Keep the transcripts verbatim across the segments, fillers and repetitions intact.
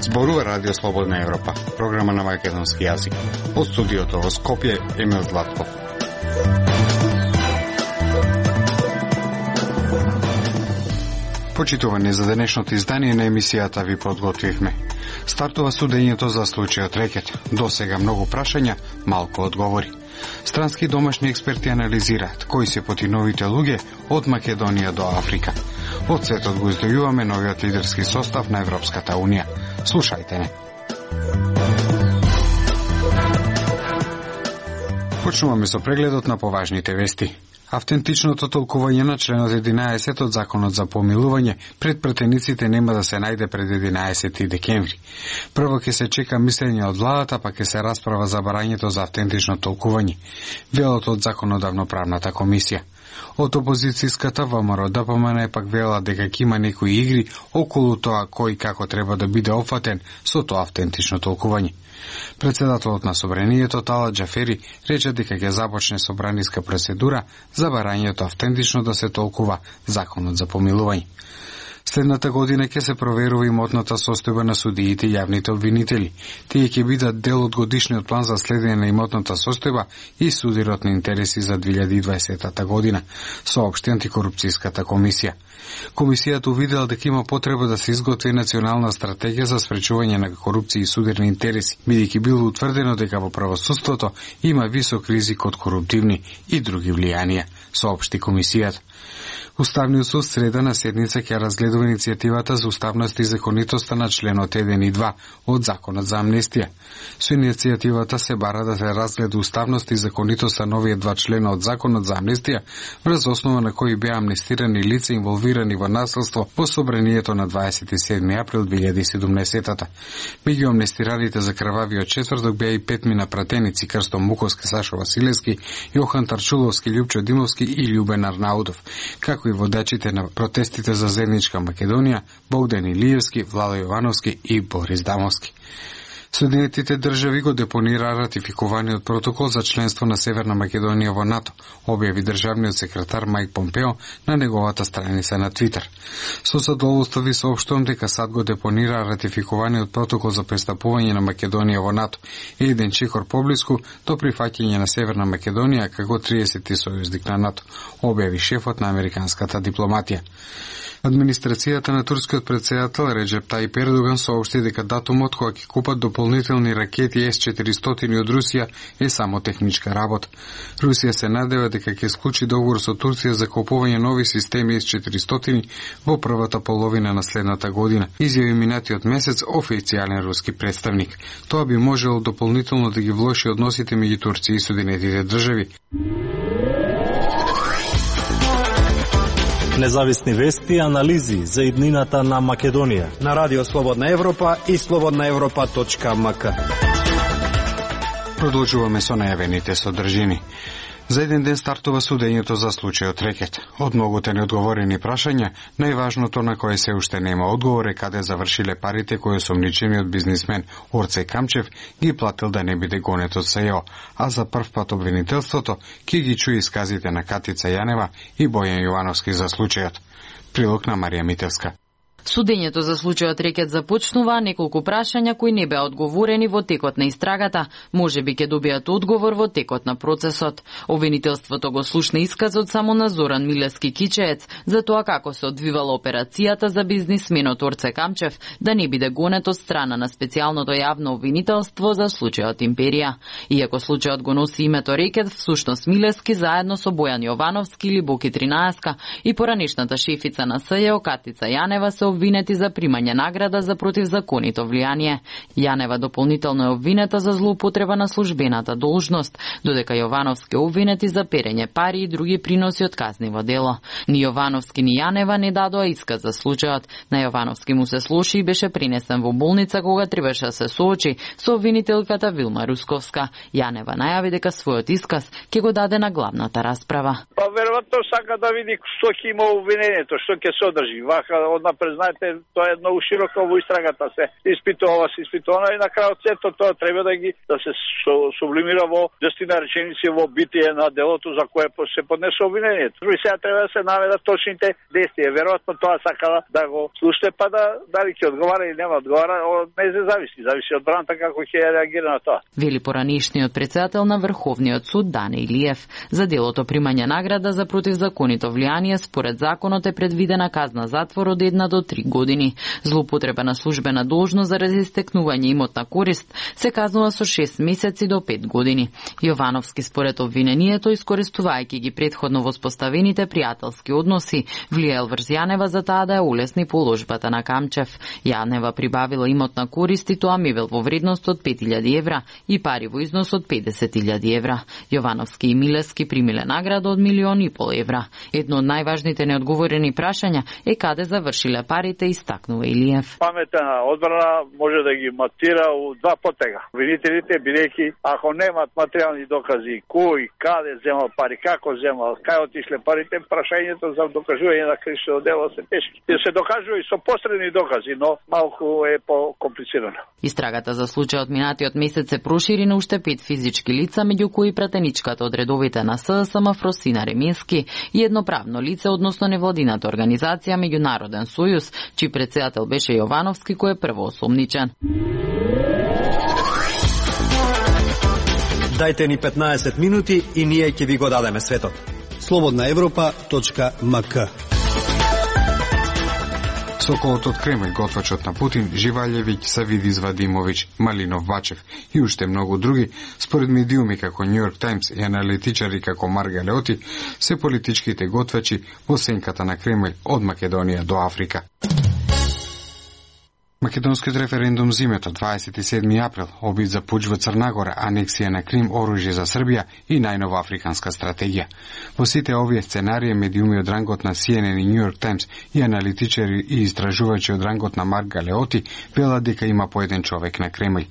Зборува Радио Слободна Европа, програма на македонски јазик. Од студиото во Скопје, Емил Златков. Почитувани за денешното издание на емисијата ви подготвивме. Стартува судењето за случајот Рекет. До сега многу прашања, малку одговори. Странски домашни експерти анализираат кои се потиновите луѓе од Македонија до Африка. Од светот го издојуваме новиот лидерски состав на Европската Унија. Слушајте не. Почнуваме со прегледот на поважните вести. Автентичното толкување на членот единаесет од Законот за помилување пред претениците нема да се најде пред единаесети декември. Прво ќе се чека мислење од владата, па ќе се расправа за барањето за автентично толкување. Велот од Законодавно-правната комисија. Од опозицијската ВМРО ДПМН пак вела дека ќе има некои игри околу тоа кој како треба да биде опфатен со тоа автентично толкување. Председателот на Собранието Тала Џафери рече дека ќе започне собраниска процедура за барањето автентично да се толкува Законот за помилување. Следната година ќе се проверува имотната состојба на судиите и јавните обвинители. Тие ќе бидат дел од годишниот план за следење на имотната состојба и судирот на интереси за две илјади и дваесета година, соопшти антикорупцијската комисија. Комисијата увидела дека има потреба да се изготви национална стратегија за спречување на корупција и судирни интереси, бидејќи било утврдено дека во правосудството има висок ризик од коруптивни и други влијанија, соопшти комисијата. Уставниот суд среда на седница ќе разгледува иницијативата за уставност и законитоста на членот еден и два од Законот за амнестија. Со иницијативата се бара да се разгледа уставност и законитоста на овие два члена од Законот за амнестија, врз основа на кои беа амнестирани лица инволвирани во насилство во собранието на дваесет и седми април две илјади и седумнаесета. Меѓу амнестираните за крвавиот четврток беа и петмина пратеници: Крсто Муковски, Сашо Василевски, Јохан Тарчуловски, Љупчо Димовски и Љубен Арнаудов, како и водачите на протестите за заедничка Македонија, Богдан Илиевски, Владо Јовановски и Борис Дамовски. Соединетите држави го депонира ратификуваниот протокол за членство на Северна Македонија во НАТО, објави државниот секретар Мајк Помпео на неговата страница на Твитер. Со задоволство ви соопштувам дека САД го депонира ратификуваниот протокол за пристапување на Македонија во НАТО, еден чекор поблиску до прифаќање на Северна Македонија како триесети сојузник на НАТО, објави шефот на американската дипломатија. Администрацијата на турскиот претседател Реджеп Тајип Ердоган соопшти дека датумот кога ќе купат дополнителни ракети Ес четиристотини од Русија е само техничка работа. Русија се надева дека ќе склучи договор со Турција за купување нови системи Ес четиристотини во првата половина на следната година, изјави минатиот месец официјален руски представник. Тоа би можело дополнително да ги влоши односите меѓу Турција и Соединетите држави. Независни вести и анализи за иднината на Македонија на Радио Слободна Европа и слободна европа точка ем ка. Продолжуваме со најавените содржини. За еден ден стартува судењето за случајот Рекет. Од многуте неодговорени прашања, најважното на кое се уште нема одговор е каде завршиле парите кои осомничениот бизнисмен Орце Камчев ги платил да не биде гонет од СЈО, а за прв пат обвинителството ќе ги чуе исказите на Катица Јанева и Бојан Јовановски за случајот. Прилог на Марија Мителска. Судењето за случајот Рекет започнува, неколку прашања кои не беа одговорени во текот на истрагата, можеби ќе добијат одговор во текот на процесот. Обвинителството го слушна исказот само на Зоран Милевски Кичеец за тоа како се одвивала операцијата за бизнисменот Орце Камчев да не биде гонет од страна на специјалното јавно обвинителство за случајот Империја. Иако случајот го носи името Рекет, всушност Милевски заедно со Бојан Јовановски или Боки Тринаеска и поранешната шефица на СЈО Катица Јанева се обвинети за примање награда за противзаконито влијание. Јанева дополнително е обвинета за злоупотреба на службената должност, додека Јовановски е обвинети за перење пари и други приноси од казниво дело. Ни Јовановски ни Јанева не дадоа исказ за случајот. На Јовановски му се слоши и беше принесен во болница кога требаше да се соочи со обвинителката Вилма Русковска. Јанева најави дека својот исказ ќе го даде на главната расправа. Па веројатно сака да види што ќе има обвинението, што ќе содржи. Вака однапред знаете, тоа е многу широко во истрагата, се испитува, се испитува и на крајот сето тоа треба да ги да се сублимира во десетина реченици во битие на делото за кое се поднесе обвинението. И сега треба да се наведат точните действија. Веројатно тоа сакала да го слушате, па да дали ќе одговара или нема одговара, од не се зависи, зависи од браната како ќе реагира на тоа. Вели поранишниот претседател на Врховниот суд Дане Илиев. За делото примање награда за противзаконито влијание според законот е предвидена казна затвор од една до три години. Злоупотреба на службена должност заради истекнување имотна корист се казнува со шест месеци до пет години. Јовановски според обвинението, искористувајќи ги предходно воспоставените пријателски односи, влијаел врз Јанева за таа да ја улесни положбата на Камчев. Јанева прибавила имотна корист и тоа мебел во вредност од пет илјади евра и пари во износ од педесет илјади евра. Јовановски и Милевски примиле награда од милион и пол евра. Едно од најважните неодговорени прашања е каде завршиле парите, истакнува Илиев. Паметна одбрана може да ги матира у два потега. Обвинителите, бидејќи ако немат материјални докази кој, каде земал пари, како земал, кај отишле парите, прашањето за докажување на кривично дело се тешки. И се докажува и со посредни докази, но малку е по-комплицирано. Истрагата за случајот минатиот месец се прошири на уште пет физички лица, меѓу кои пратеничката од редовите на СДСМ Фросина Ремински и едно правно лице, односно невладината организација Меѓународен сојуз, чиј претседател беше Јовановски, кој е првоосомничен. Дајте ни петнаесет минути и ние ќе ви го дадеме светот. слободна европа точка ем ка. Соколот од Кремљ, готвачот на Путин, Живалјевиќ, Савидис Вадимовиќ, Малинов Бачев и уште многу други, според медиуми како Нью Йорк Таймс и аналитичари како Марга Леоти, се политичките готвачи во сенката на Кремљ од Македонија до Африка. Македонскиот референдум зимето, дваесет и седми април, обид за пуч во Црнагора, анексија на Крим, оружје за Србија и најнова африканска стратегија. Во сите овие сценарии, медиуми од рангот на Си Ен Ен и Нью Йорк Таймс и аналитичари и истражувачи од рангот на Марга Леоти велат дека има по еден човек на Кремљ.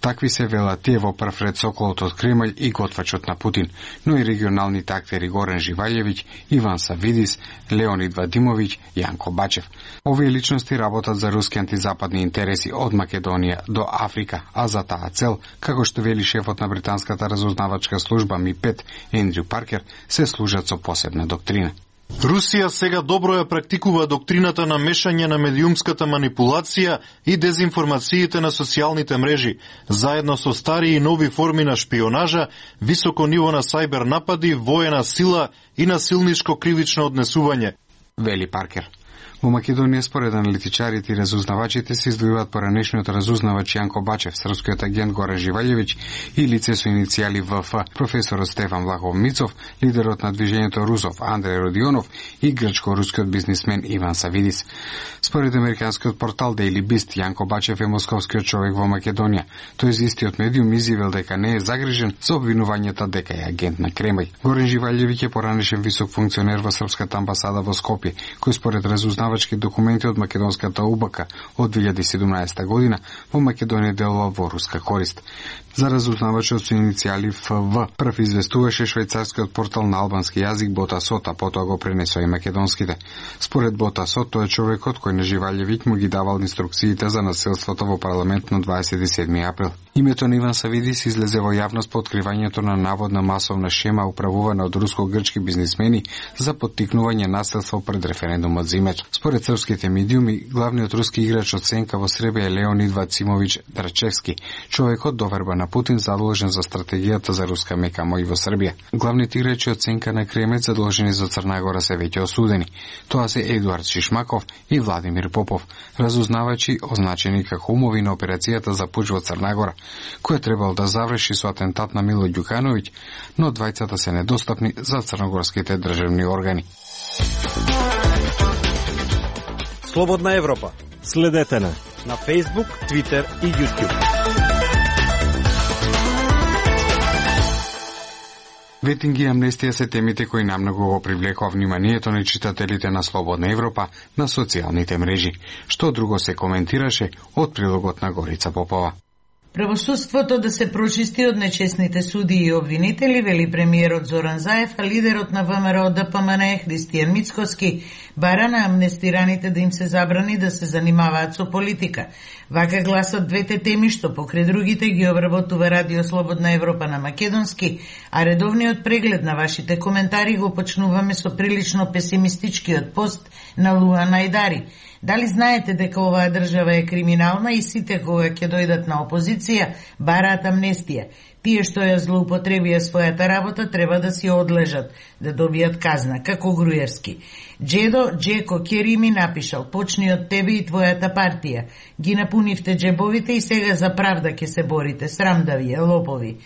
Такви се велат тие во прв ред Соколот од Кремљ и готвачот на Путин, но и регионалните актери Горан Живалјевиќ, Иван Савидис, Леонид Вадимовиќ, Јанко Бачев. Овие личности работат за руски антизападни интереси од Македонија до Африка, а за таа цел, како што вели шефот на британската разузнавачка служба Ми пет, Ендрю Паркер, се служат со посебна доктрина. Русија сега добро ја практикува доктрината на мешање на медиумската манипулација и дезинформациите на социјалните мрежи, заедно со стари и нови форми на шпионажа, високо ниво на сајбер напади, воена сила и насилничко кривично однесување, вели Паркер. Во Македонија, според аналитичарите и разузнавачите, се издвојуваат поранешниот разузнавач Јанко Бачев, српскиот агент Горан Живалјевиќ и лице со иницијали В Ф, професорот Стефан Влахов Мицов, лидерот на движењето Русов Андреј Родионов и грчко-рускиот бизнисмен Иван Савидис. Според американскиот портал Daily Beast, Јанко Бачев е московскиот човек во Македонија. Тој за истиот медиум изјавил дека не е загрижен за обвинувањата дека е агент на Кремљ. Горан Живалјевиќ е поранешен висок функционер во српската амбасада во Скопје, кој според разузнавачки документи од македонската У Б К од две илјади и седумнаесета година во Македонија делува во руска корист. За разузнавачот со иницијали Ф В прв известуваше швајцарскиот портал на албански јазик Ботасот, а потоа го пренесоа и македонските. Според Ботасот, тој е човекот кој на Живалјевиќ му ги давал инструкциите за насилството во парламент на дваесет и седми април. Името на Иван Савидис излезе во јавност по откривањето на наводна масовна шема управувана од руско-грчки бизнисмени за поттикнување насилство пред референдумот зимето. Според српските медиуми, главниот руски играч од сенка во Србија е Леонид Вацимовиќ Драчевски, човекот доверба на Путин задолжен за стратегијата за руска мека мој во Србија. Главните играчи од сенка на Кремљ задолжени за Црнагора се веќе осудени. Тоа се Едуард Шишмаков и Владимир Попов, разузнавачи означени како умови на операцијата за пуч во Црнагора, која требал да заврши со атентат на Мило Ѓукановиќ, но двајцата се недостапни за црногорските државни органи. Слободна Европа. Следете на на Facebook, Twitter и YouTube. Ветинг и амнестија се темите кои намногу го привлекува вниманието на читателите на Слободна Европа на социјалните мрежи. Што друго се коментираше од прилогот на Горица Попова. Правосудството да се прочисти од нечесните судии и обвинители, вели премиерот Зоран Заев, а лидерот на ВМРО ДПМН Христијан Мицкоски бара на амнестираните да им се забрани да се занимаваат со политика. Вака гласат двете теми што покрај другите ги обработува Радио Слободна Европа на македонски, а редовниот преглед на вашите коментари го почнуваме со прилично песимистичкиот пост на Луа Најдари. Дали знаете дека оваа држава е криминална и сите кога ќе дојдат на опозиција бараат амнестија? Тие што ја злоупотребија својата работа треба да си одлежат, да добијат казна, како Груевски. Джедо Джеко Кери ми напишал: почни од тебе и твојата партија. Ги напунивте джебовите и сега за правда ќе се борите, срам да ви е, лопови.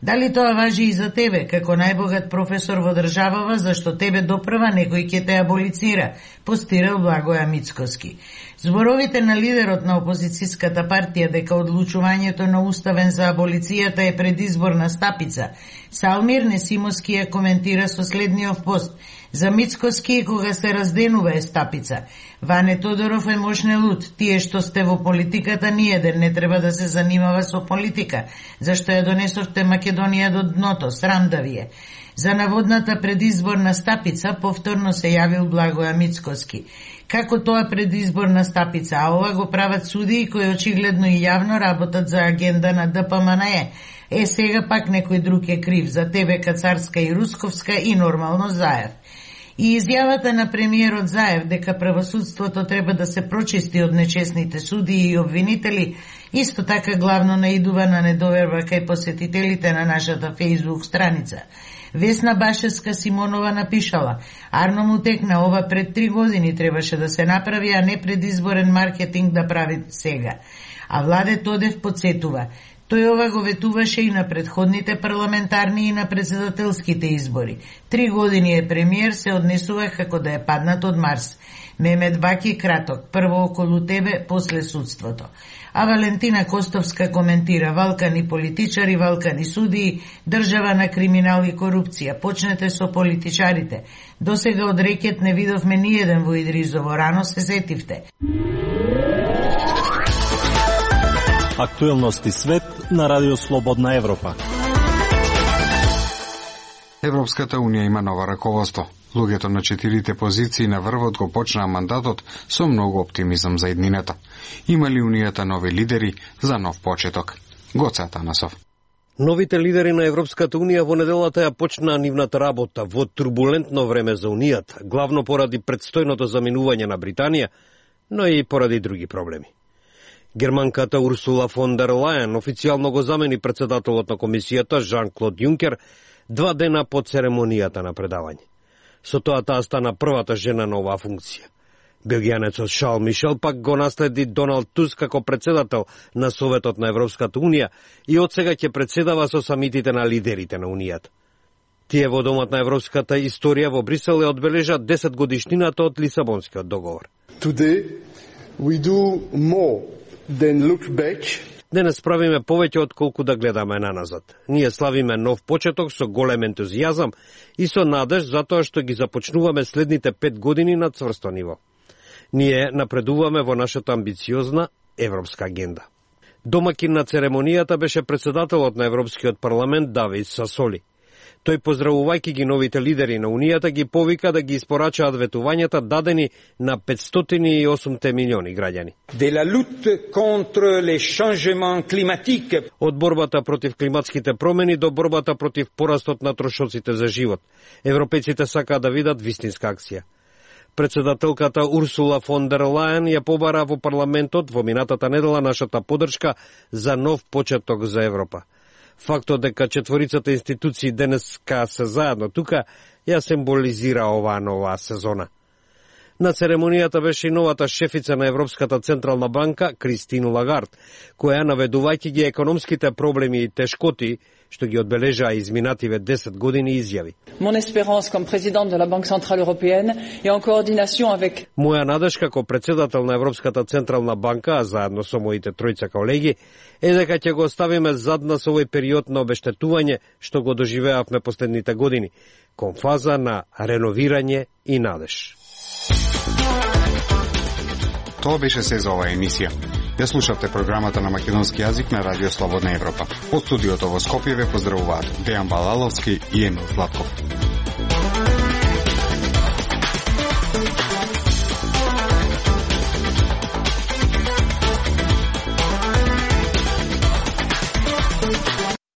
Дали тоа важи и за тебе, како најбогат професор во државава, зашто тебе допрва некој ќе те аболицира, постирал Благоја Мицкоски. Зборовите на лидерот на опозицијската партија дека одлучувањето на уставен за аболицијата е предизборна стапица, Салмир Несимовски ја коментира со следниот пост: за Мицкоски кога се разденува е стапица. Ване Тодоров е мошне луд. Тие што сте во политиката ниеден не треба да се занимава со политика, зашто ја донесовте Македонија до дното, срам да ви е. За наводната предизборна стапица повторно се јавил Благоја Мицкоски. Како тоа предизборна стапица, а ова го прават судии кои очигледно и јавно работат за агенда на ДПМНЕ. Е, сега пак некој друг е крив, за тебе Кацарска и Русковска и нормално Заев. И изјавата на премиерот Заев дека правосудството треба да се прочисти од нечесните судии и обвинители исто така главно наидува на недоверба кај посетителите на нашата фејсбук страница. Весна Башевска Симонова напишала: Арно му текна, ова пред три години требаше да се направи, а не предизборен маркетинг да прави сега. А Владе Тодев подсетува: тој ова го ветуваше и на предходните парламентарни и на председателските избори. Три години е премиер, се однесува како да е паднат од Марс. Мемет Баки краток, прво околу тебе, после судството. А Валентина Костовска коментира: валкани политичари, валкани судии, држава на криминал и корупција. Почнете со политичарите. Досега од рекет не видовме ниеден во Идризово, рано се сетивте. Актуелности свет на Радио Слободна Европа. Европската унија има ново раководство. Луѓето на четирите позиции на врвот го почнаа мандатот со многу оптимизам за иднината. Има ли унијата нови лидери за нов почеток? Гоце Атанасов. Новите лидери на Европската унија во неделата ја почнаа нивната работа во турбулентно време за унијата, главно поради предстојното заминување на Британија, но и поради други проблеми. Германката Урсула фон дер Лајен официјално го замени председателот на комисијата Жан-Клод Јункер два дена по церемонијата на предавање. Со тоа таа стана првата жена на оваа функција. Белгијанецот Шарл Мишел пак го наследи Доналд Туск како председател на Советот на Европската унија и од сега ќе председава со самитите на лидерите на унијата. Тие во Домот на европската историја во Брисел ја одбележа десет годишнината од Лисабонскиот договор. Today we do more than look back. Денес правиме повеќе од колку да гледаме наназад. Ние славиме нов почеток со голем ентузијазам и со надеж затоа што ги започнуваме следните пет години на цврсто ниво. Ние напредуваме во нашата амбициозна европска агенда. Домакин на церемонијата беше председателот на Европскиот парламент Давид Сасоли. Тој, поздравувајќи ги новите лидери на Унијата, ги повика да ги испорачаат ветувањата дадени на петстотини и осум милиони граѓани. De la lutte contre les changements climatiques. Од борбата против климатските промени до борбата против порастот на трошоците за живот. Европејците сакаат да видат вистинска акција. Председателката Урсула фон дер Лајен ја побара во парламентот во минатата недела нашата поддршка за нов почеток за Европа. Фактот дека четворицата институции денеска се заедно тука ја символизира оваа нова сезона. На церемонијата беше и новата шефица на Европската централна банка Кристин Лагард, која наведувајќи ги економските проблеми и тешкоти што ги одбележаа изминативе десет години изјави. Mon espérance comme présidente de la Banque centrale européenne et en coordination avec Моја надеж како председател на Европската централна банка, заедно со моите тројца колеги, е дека ќе го оставиме зад нас овој период на обештетување што го доживеавме последните години, кон фаза на реновирање и надеж. Тоа беше се за оваа емисија. Ја слушавте програмата на македонски јазик на Радио Слободна Европа. Од студиото во Скопје ве поздравуваат Дејан Балаловски и Емил Златков.